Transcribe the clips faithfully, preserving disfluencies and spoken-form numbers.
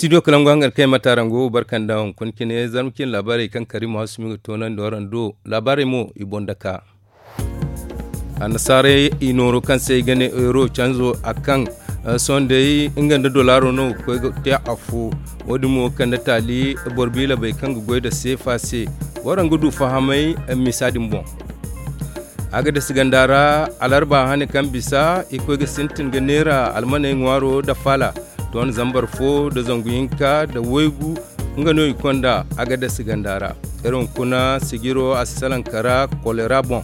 Studio kalangu hangar kay mata rango barkanda hunkuna cine zarma cine laabaarey kaŋ karimu hasumi ga toonandi waraŋ do. Laabaarey mo i boŋ daka. Annasaarey i nooro kaŋ se i ga ne euro canzo a kaŋ sohõ day nga nda dolaaro no ga koy ga te afo. Wo- din mo ga kande taali boro biilabey kaŋ ga goy nda seefa se. Waraŋ ga du fahamay misa din boŋ. Agadas ganda ra, alarba hane kaŋ bisa i koy ga sintin ga neera almaney ŋwaaro nda faala. Ton zambar fo nda zangu hinka nda waygu nga no i konda. Agadas ganda ra, iri hunkuna sijiro a si salaŋ kara kolera boŋ.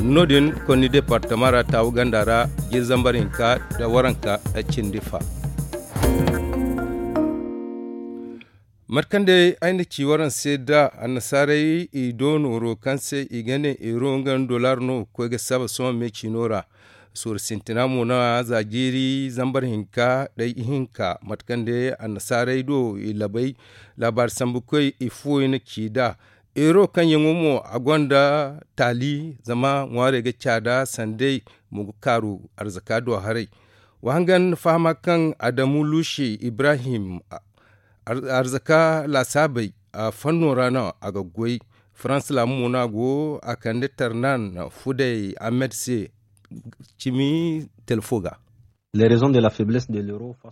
No- din konni departama ra taawu ganda ra, jiri zambar hinka nda waranka cindi fa. Mate kaŋ day ay na ci waraŋ se da annasaarey i do nooro kaŋ se i ga ne euro nga nda dollar no ga koy ga saba sohõ me ciino ra. Suuru sintina mo no a za jiiri zambar hinka day ihinka mate kaŋ day annasaarey do i labay. Laabaari sambu koy i fuwo i na ci nd'a. Euro kaŋ yaŋo mo a gonda taali zama ŋwaarey ga caada sanday mo ga kaaru arzaka do haray. Wa hangan fahama kaŋ adamu luusi ibrahim arzaka laasaabey a fanno ra no a ga goy. Farans laabu mo no a go a kande tarnan fuday ahmed se cimi telefo ga.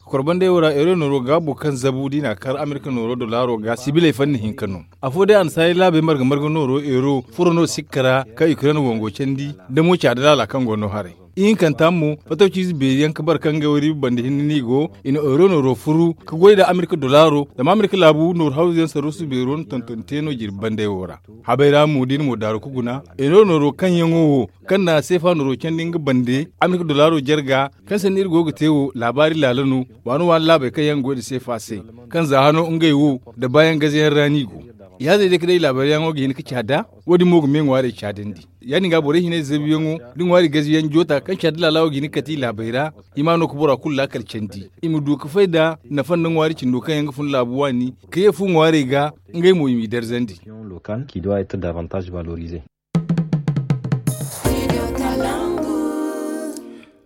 Korbandey wo ra euro nooro gaabo kaŋ zabu da i n'a kar amerika nooro dolaaro ga sibiley fanni hinka no. Afo day annasaarey laabey marga marga nooro euro furo no sikka ra kaŋ ukraine wango candi da mo caada laala kaŋ go no haray. Ihinkanta mo fatawciize beeri yaŋ ka bare kaŋ ngey wo riiba banda hinne no i go. I na euro nooro furu ka goy nda amerika dolaaro zama amerika laabu nooru hawzu yaŋ sarrusu beero na tonton te no jirbi bandey wo ra. Habay ra mo da i na mo daaru ka guna euro nooro kaŋ yaŋo wo kaŋ na seefa nooro candi nga bande amerika dolaaro jarga kaŋ sanni iri go ga te wo laabaari laala no. Waani waani laabey kaŋ yaŋ ga goy nda seefa se kaŋ za hano ngey wo nda baayaŋ gaze yaŋ ra no i go. Yaazey day ka day laabaari yaŋo ga hin ka caada. Wo- din mo ga me ŋwaarey caadandi. Ya- din ga borey hinay zabiyaŋo da ŋwaari gaziyaŋ joota kaŋ care da laalawo ga hin ga kate i laabey ra. I ma no ga bora kulu laakal candi i ma du ga fay nda nafa nda ŋwaari cindo kaŋ yaŋ ga fun laabu waani ka ye fu ŋwaarey ga. Ngey mo i m'i darzandi.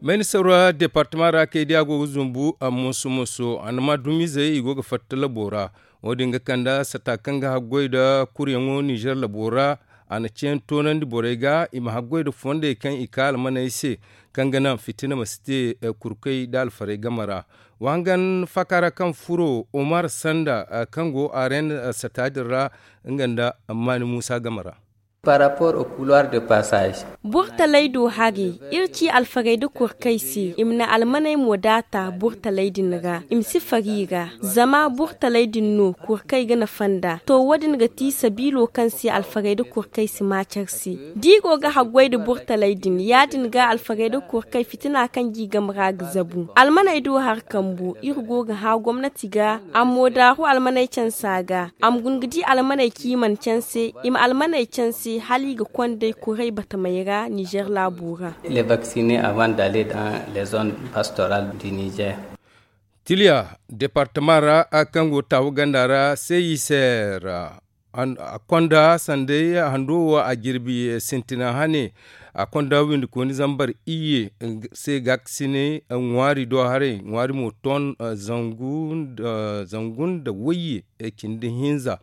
Mayni sawra departama ra kay di a go ga zumbu a moso moso a na ma dumizey i go ga fatta labo ra. Wo- din ga kande sata kaŋ ga haggoy nda kuryaŋo nizer labo ra. A na ceeyaŋ toonandi borey ga i ma haggoy nda fondey kaŋ i ka almaney se kaŋ ga naŋ fitina ma si te kurkey nda alfarey game ra. Wa hangan faaka ra kaŋ furo omar sanda kaŋ go aren sata din ra nga nda maani muusa game ra. Par rapport au couloir de passage. Burtaley do haray iri ci alfarey nda kurkey se i ma na almaney mo daata burtaley din ra i ma si fari i ra. Zama burtaley din no kurkey ga nafa nd'a to wo- din ga ti sabiilo kaŋ se alfarey nda kurkey si maaci iri se. Da i go ga haggoy nda burtaley din ya- din ga alfarey nda kurkey fitina kaŋ g'i game ra ga zabu almaney do hari kambu iri go ga hã gomnati ga. A ma mo daaru almaney canse a ga a ma guna ga di almaney kaŋ i mana canse i ma almaney canse hala i ga kond'ey kuray batamey ra nizer laabo ra. Les vacciner avant d'aller dans les zones pastorales du nizer. Tiliya departama ra kaŋ go taawu ganda ra se i seer a konda sanday hando wo a jirbi sintina hane. A konda windikooni zambar iyye se gaakasinay ŋwaari do haray ŋwaari mo ton zangu nda wayye cindi hinza.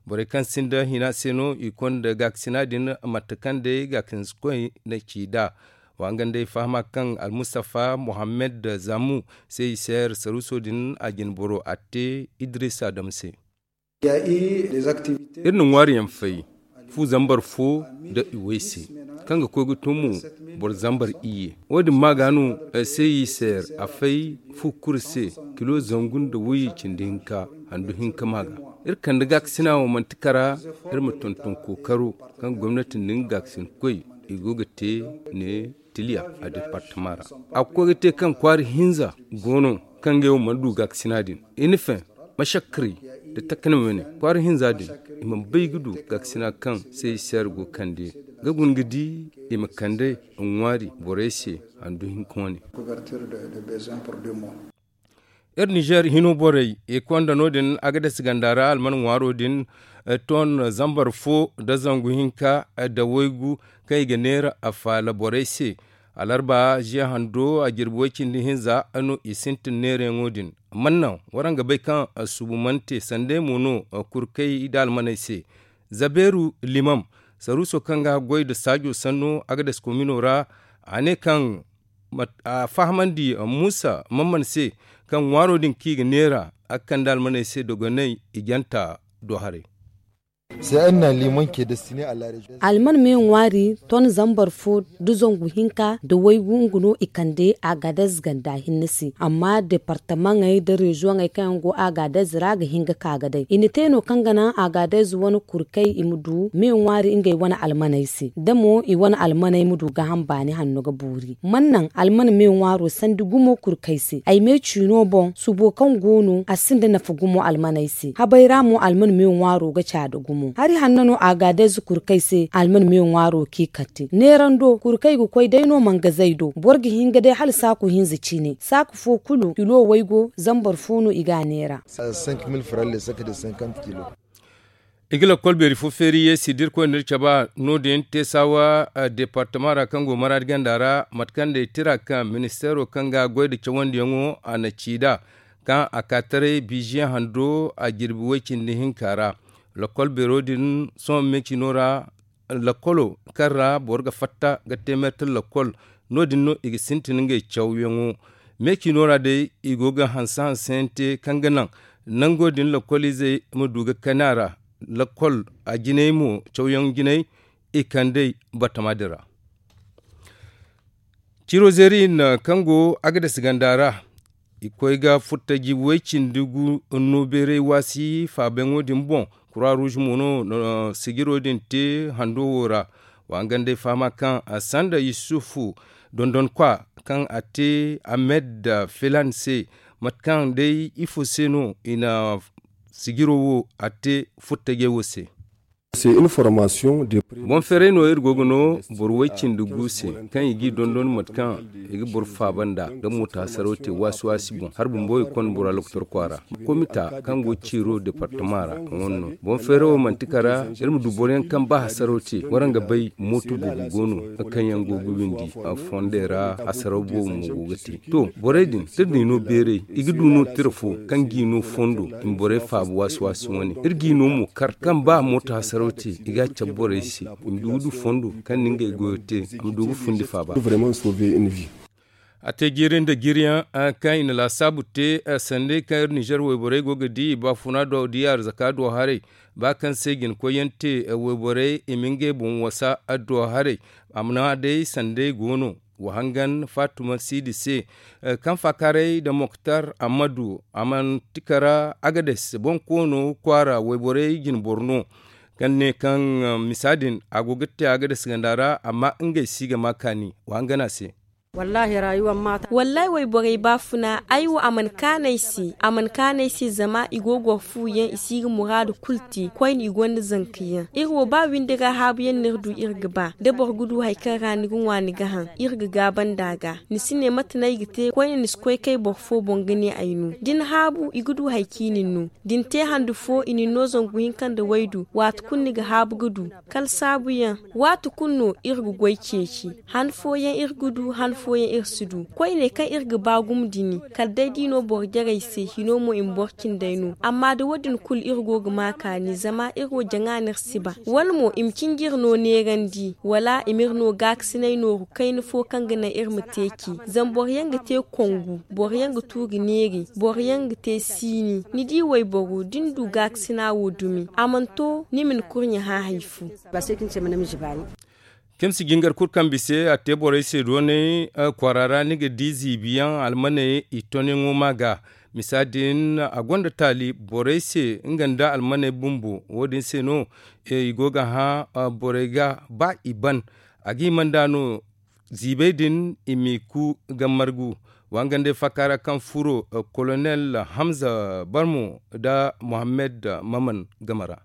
Borey kaŋ sinda hina se no i konda gaakasina din mate kaŋ day gaakasinkoy na ci nd'a. Wa nga nda ay fahama kaŋ almustafa mohammed zamu se i seer saruuso din a jine boro a te idris adam se. Iri na ŋwaari yaŋ fay fu zambar fo nda i way se kaŋ ga koy ga to mo boro zambar iyye. Wo- din ma ga no se i seer a fay fu kuri se kilo zangu nda wayye cindi hinka handu hinka ma ga. Iri kande gaakasina wo manti kara iri ma tonton kookaro kaŋ gomnati nda nga gaakasinkoy i go ga te ne tiliya a departama ra. A ga koy ga te kaŋ kwaari hinza go no kaŋ ngey wo mana du gaakasina din. I na feŋ mashakkaray nda takanamey wane kwaara hinza din i mana bay ga du gaakasina kaŋ se i seer go kande ga guna ga di i ma kande ŋwaari borey se handu hinka wane. Iri nizer hino borey i konda no- din agadas ganda ra alman ŋwaaro din ton zambar fo nda zangu hinka nda waygu kaŋ i ga neera afaala borey se. Alarba ziya hando a jirbi way-cindi hinza no i sintin neerayaŋo din. Mannaŋ waraŋ ga bay kaŋ subu mana te sanda ay mo no kurkey da almaney se. Zabeeru limam saruuso kaŋ ga goy nda saajo sanno a ga dasi komino ra. A ne kaŋ a fahamandi muusa mamman se kaŋ ŋwaaro din kaŋ i ga neera a ga kande almaney se dogonay i janta do haray. Alman me ŋwaari ton zambar fo nda zangu hinka nda waygu nga no i kande agadez ganda hinne se amma departamaŋey nda reziyoŋey kaŋ yaŋ go agadez ra ga hin ga ka ga day i na te no kaŋ ga naŋ agadez wane kurkey i ma du me ŋwaari ngey wane almaney se da mo i wane almaney ma du gaaham baani hanno ga boori man naŋ alman me ŋwaaro sandi gumo kurkey se ay me ciino boŋ subo kaŋ go no a sinda nafa gumo almaney se habay ra mo alman me ŋwaaro ga caada gumo hari hanno no agadez kurkey se alman me ŋwaaro kaŋ i kate neerando kurkey ga koy day no mangazey do boro ga hin ga day hala saaku hinza cine saaku fo kulu kilo waygo zambar fo no i ga a neera. I ga lakkol beeri fo feeri yeesi da irkoy na iri cabe no- din teesawa departama ra kaŋ go maraadi ganda ra mate kaŋ day tira kaŋ ministeero kaŋ ga goy nda cawandiyaŋo a na ci nd'a kaŋ a ka taray biiziyaŋ hando a jirbi way-cindi hinka ra. Lakkol beero din sohõ me ciino ra lakkolo kaŋ ra boro ga fatta ga te meetar lakkol no- din no i ga sintin ngey cawyaŋo. Me ciino ra day i go ga hanse hanseyaŋ te kaŋ ga naŋ nango din lakkol izey ma du ga kani a ra. Lakkol a jinay mo cawyaŋ jinay i kand'ey batama din ra. Ciro zeeri hinne kaŋ go agadas ganda ra i koy ga furtaji way-cindi gu no beeray waasi faabayaŋo din boŋ. Kura ruuz mo no na sijiro din te hando wo ra. Wa nga nd'ay fahama kaŋ sanda yusufu dondonkwa kaŋ a te amed filan se mate kaŋ day ifo se no i na sijiro wo a te furtajey wo se. Boŋ feeray no iri go ga no boro way-cindi gu se kaŋ i g'i dondon mate kaŋ i ga boro faaba nd'a ga mooto hasaraw te waasi-waasi boŋ hala bumbo i konda bora lokotor kwaara. Komita kaŋ go ciiro departama ra a wane no boŋ feeray wo manti kara iri ma du boroyaŋ kaŋ ba hasaraw te waraŋ ga bay mooto boobo go no kaŋ yaŋ go ga windi fondey ra hasaraw boobo mo go ga te. To borey din da iri n'i no beeray i ga du no tira fo kaŋ g'i no fondo i ma borey faaba waasi-waasi wane iri g'i no mo kar kaŋ ba mooto hasaraw te i ga a cabe borey se i ma du ga du fondo kaŋ na ngey goyo te a ma du ga fundi faaba. A te jiiri nda jiiriyaŋ kaŋ i na laasaabu te sanda kaŋ iri ninzeer wayborey go ga di i baafuna do da i arzaka do haray ba kaŋ se jina koyyaŋ te wayborey i ma ngey boŋ wasa do haray. Amma day sanday go no wa hangan faatuma siidi se kaŋ faakaaray nda moktar ammadu a mana ti kara agades boŋ koono kwaara wayborey jina boro no kaŋ ne kaŋ misa din a go ga te agades ganda ra amma ngey si ga ma kaani wa hangan a se. Wallaahi wayborey baafuna ay wo a mana kaanu ay se a mana kaanu ay se zama i go ga war fu yaŋ i si ga muraadu kulu te koyne i gonda zanka yaŋ iri wo ba windi ra haabu yaŋ no iri du iri ga ba da boro ga du hari kaŋ ra ni ga ŋwa ni ga haŋ iri ga gaaba nd'a ga ni si ne mate no ay ga te koyne ni si koy kay boro fo boŋ ga ne ay no da ni haabu i ga du hari kaŋ i na ni no da ni te handu fo i na ni no zangu hinka nda waydu waati kulu ni ga haabu ga du kala saabuyaŋ waati kulu no iri ga goy ceeci han fooyaŋ iri ga du han fooyaŋ iri si du koyne kaŋ iri ga ba gumo dini kala day da i no boro jarey se hino mo i ma boro cindey no amma da wo- din kulu iri go ga ma kaani zama iri wo jaŋa no iri si ba wala mo i ma cinji iri no neerandi wala i ma iri no gaakasinay nooru kayna fo kaŋ ga naŋ iri ma te ci zama boroyaŋ ga te kongu boroyaŋ ga tuuri neeri boroyaŋ ga te siini ni di wayboro da ni du gaakasina wo dumi a mana to ni ma ni kurɲe hã hari fo. Kimsi jingar kulu kaŋ bisa a te borey se doonay kwaara ra ni ga di ziibiyaŋ almaney i tonyaŋo ma ga misa din a gonda taali borey se nga nda almaney bumbo wo- din se no i go ga hã borey ga ba i ban a ga hima nd'a no ziibey din i m'i ku ga margu wa nga nd'ey faaka ra kaŋ furo kolonel hamza barmo nda mohammed maman game ra.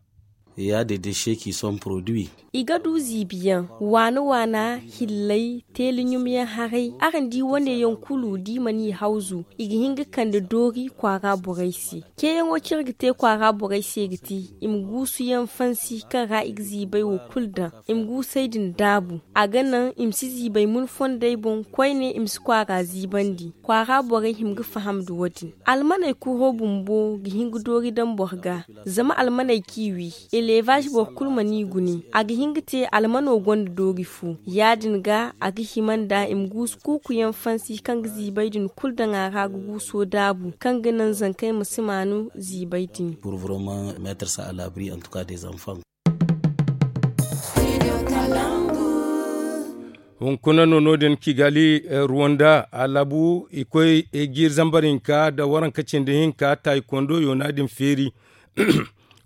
Ya de de sheki son produit. I ga du ziibiyaŋ waana waana, hillay, teeli ɲumyaŋ haray. Araŋ di wane yaŋ kulu da i mana i hawzu, i ga hin ga kande doori kwaara borey se. Ceeyaŋo kaŋ iri ga te kwaara borey se ga ti i ma guusuyaŋ fansi kaŋ ra i ga ziibay wo kulu daŋ, i ma guusey din daabu. A ga naŋ i ma si ziibay mun fondey boŋ koyne, i ma si kwaara ziibandi. Kwaara borey hima ga faham nda wo- din. Almaney kuro bumbo ga hin ga doori daŋ boro ga. Zama almaney kaŋ i wi, elevaaz boro kulu mana i gune. A ga hin ga te almano gonda doori fo. Ya- din ga a ga hima nda i ma guusu kuukuyaŋ fansi kaŋ ga ziibay din kulu daŋ a ra ga guuso daabu kaŋ ga naŋ zankey ma si maanu ziibay din. Hunkuna no no- din kigali ruwanda a labu i koy jiiri zambar hinka nda waranka cindi hinka taayi kondo yoona din feeri.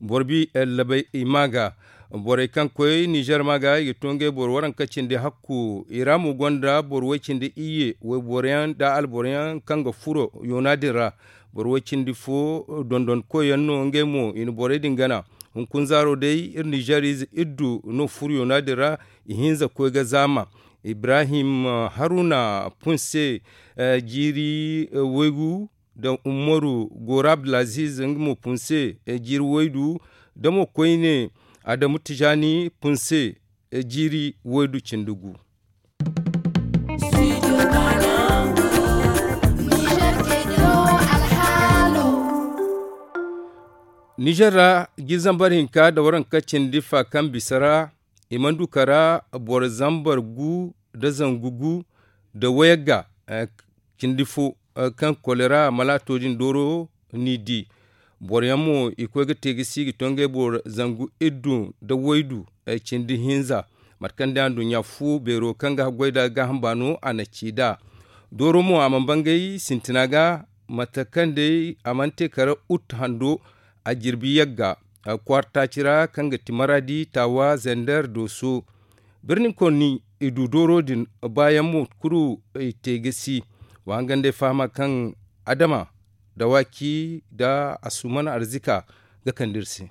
Boro bi labay i ma ga borey kaŋ koy nizer ma ga i ga to ngey boro waranka cindi hakku i ra mo gonda boro way cindi iyye wayboro yaŋ nda alboro yaŋ kaŋ ga furo yoona din ra. Boro way cindi fo dondonkoy yaŋ no ngey mo i na borey din gana. Hunkuna zaaro day iri nizer ize iddu no furo yoona din ra. Ihinza koy ga zaama ibrahim haruna punse jiiri waygu nda umaru goro abdulaziz nga mo punse jiiri waydu nda mo koyne adamu tijani punse jiiri waydu cindi gu. Nizer ra jiiri zambar hinka nda waranka cindi fa kaŋ bisa ra i mana du kara boro zambar gu nda zangu gu nda wayagga cindi fo kaŋ kolera malaato din dooro n'i di. Boro yaŋ mo i koy ga te ga si ga to ngey boro zangu iddu nda waydu cindi hinza. Mate kaŋ day anduɲɲa fu beero kaŋ ga haggoy nda gaaham baano a na ci nd'a. Dooro mo a mana bangay sintina ga mate kaŋ day a mana te kara ut hando a jirbi yagga kwaara taaci ra kaŋ ga ti maradi taawa zender dooso. Birni konni i du dooro din baayaŋ mo kulu i te ga si. Wa hangan day fahama kaŋ adama dawaaki nda asuman arzika ga kande iri se.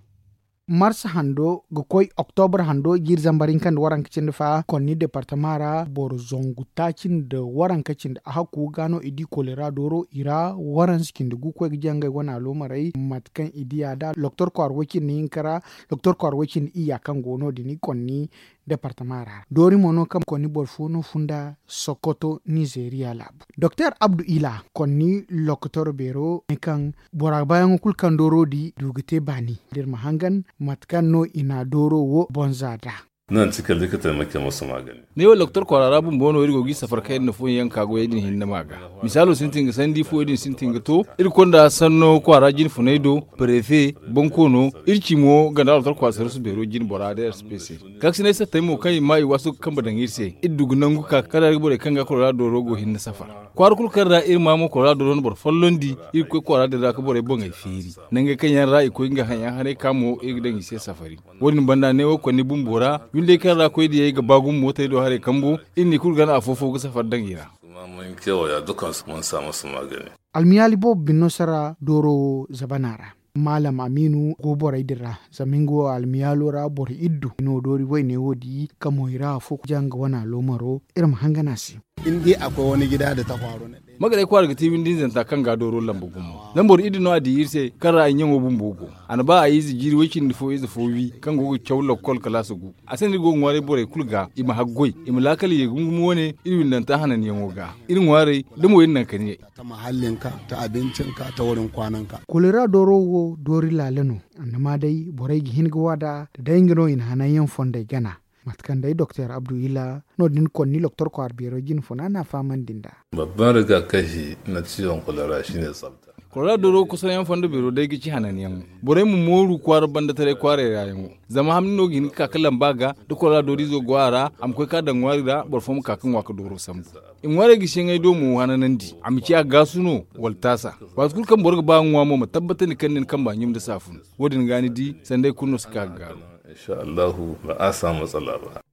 Mars hando ga koy oktobra hando jiiri zambar hinka nda waranka cindi fa konni departama ra boro zangu taaci nda waranka cindi a hakku ga no i di kolera dooro i ra waransa cindi gu koy ga jangay wane aloomarey mate kaŋ i diya nd'a doktor kwaara way cindi hinka ra. Doktor kwaara way cindi iyya kaŋ go no- din i konni departama ra doori mo no kaŋ konni boro fo no funda sokoto nizeeriya laabu. Doktor abdu ila konni lokotor beero ne kaŋ bora baayaŋo kulu kaŋ dooro di du ga te baani da iri ma hangan mate kaŋ no i na dooro wo bonza nd'a. Nan cika likita make masu magani. Ne wo doktor kwaara ra bumbo no iri go ga i safar kaŋ iri na fooyaŋ ka goyey din hinne ma ga. Misaalo sintin ga sandi fooyaŋ din sintin ga to iri konda sanno kwaara jinfunay do, prefe, bonkoono, iri ci mo ganda doktor kwaara sarasu beero jine bora da rsp se. Kaakasinay sattey mo kaŋ i ma i waasu ga kambe daŋ iri se iri du ga nangu ka kala iri ga borey kaŋ ga koloraado dooro go hinne safar. Kwaara kulu kaŋ ra iri ma mo koloraado dooro na boro follondi iri ga koy kwaara din ra ga borey boŋey feeri. Nangey kaŋ yaŋ ra i koy nga haŋ yaŋ haray ka mo iri ga daŋ i se safari. Wo- din banda neewo konni bumbo ra windey kaŋ ra koy diyey ga ba gumo mootey do haray kambo iri n'i kulu gana afo-fo ga safari daŋ i ra. Almiyaali boobo bine no sara dooro wo zabana ra. Maalam amiinu go borey din ra zama nga wo almiyaalo ra boro iddu no doori wayne wo di ka moy ra afo janga wane aloomaro. Iri ma hangan a se. Magarey kwaara ga ti windi hinzanta kaŋ ga dooro lamba gumo. Zama boro iddu no a di iri se kaŋ ra ay ɲaŋo bumbo go. A na ba a ize jiiri way cindi fo ize fo wi kaŋ go ga caw lakkol kalaasa gu. A se no iri go ga ŋwaaray borey kulu ga i ma haggoy i ma laakal ye gumo-gumo wane iri windanta hananyaŋo ga. Iri ŋwaaray da mo iri naŋ ka ne. Kolera dooro wo doori laala no. Annama day borey ga hin ga waada da day nga no i na hananyaŋ fondey gana. Mate kaŋ day doktor abdu ila no- din konni loktor kwaara beero jine funa no a fahamandi nd'a. Babban rigakafi na ciwon kolera shine tsafta. Kolera dooro kusanyaŋ fondo beero day ga ci hananyaŋo. Borey ma mooru kwaara banda taray kwaaray ra yaŋo. Zama hamni no ga hin ga ka ga lamba ga da kolera doorizo go a ra a ma koy ka daŋ ŋwaari ra boro fo ma ka ga ŋwa ga dooro sambu. I ŋwaarey ga siyaŋey do mo hananandi a ma ci a gaasu no wala taasa. Waati kulu kaŋ boro ga ba ga ŋwa mo ma tabbatandi kaŋ ni na kamba ɲum nda saafun. Wo- din ga ni di sanday kulu no si ka ga gaaru. Insha allahu ba a samu matsala ba.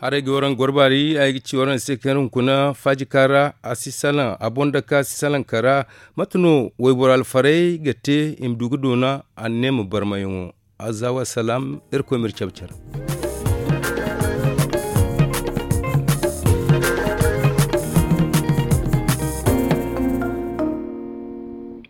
Araŋ ga waraŋ gorbaari ay ga ci waraŋ se kaŋ hunkuna faaji kaŋ ra a si salaŋ a boŋ dake a si salaŋ kara. Mate no wayboro alfarey ga te i ma du ga doona a ne ma barmayaŋo. Aza wa salaam. Irkoy ma iri cabe care.